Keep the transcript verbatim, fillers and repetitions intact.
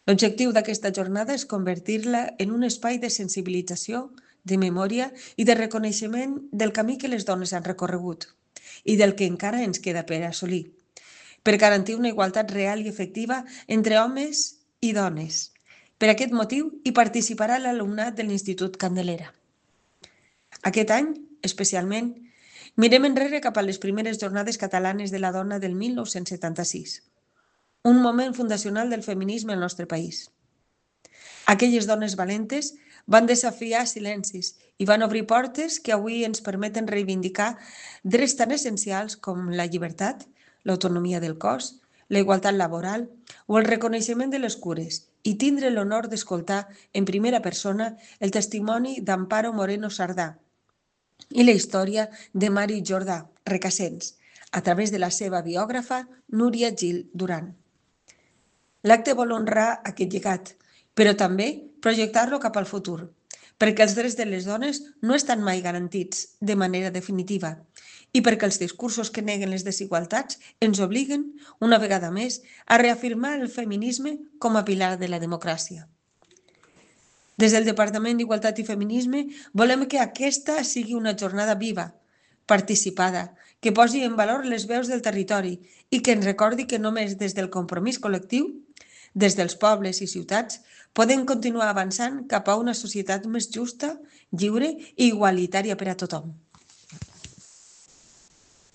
L'objectiu d'aquesta jornada és convertir-la en un espai de sensibilització, de memòria i de reconeixement del camí que les dones han recorregut i del que encara ens queda per assolir, per garantir una igualtat real i efectiva entre homes i dones. Per aquest motiu hi participarà l'alumnat de l'Institut Candelera. Aquest any, especialment, mirem enrere cap a les primeres jornades catalanes de la dona del mil nou-cents setanta-sis, un moment fundacional del feminisme al nostre país. Aquelles dones valentes van desafiar silencis i van obrir portes que avui ens permeten reivindicar drets tan essencials com la llibertat, l'autonomia del cos, la igualtat laboral o el reconeixement de les cures i tindre l'honor d'escoltar en primera persona el testimoni d'Amparo Moreno Sardà i la història de Mari Jordà Recasens, a través de la seva biògrafa Núria Gil Duran. L'acte vol honrar aquest llegat, però també projectar-lo cap al futur, perquè els drets de les dones no estan mai garantits de manera definitiva i perquè els discursos que neguen les desigualtats ens obliguen, una vegada més, a reafirmar el feminisme com a pilar de la democràcia. Des del Departament d'Igualtat i Feminisme volem que aquesta sigui una jornada viva, participada, que posi en valor les veus del territori i que ens recordi que només des del compromís col·lectiu, des dels pobles i ciutats, podem continuar avançant cap a una societat més justa, lliure i igualitària per a tothom.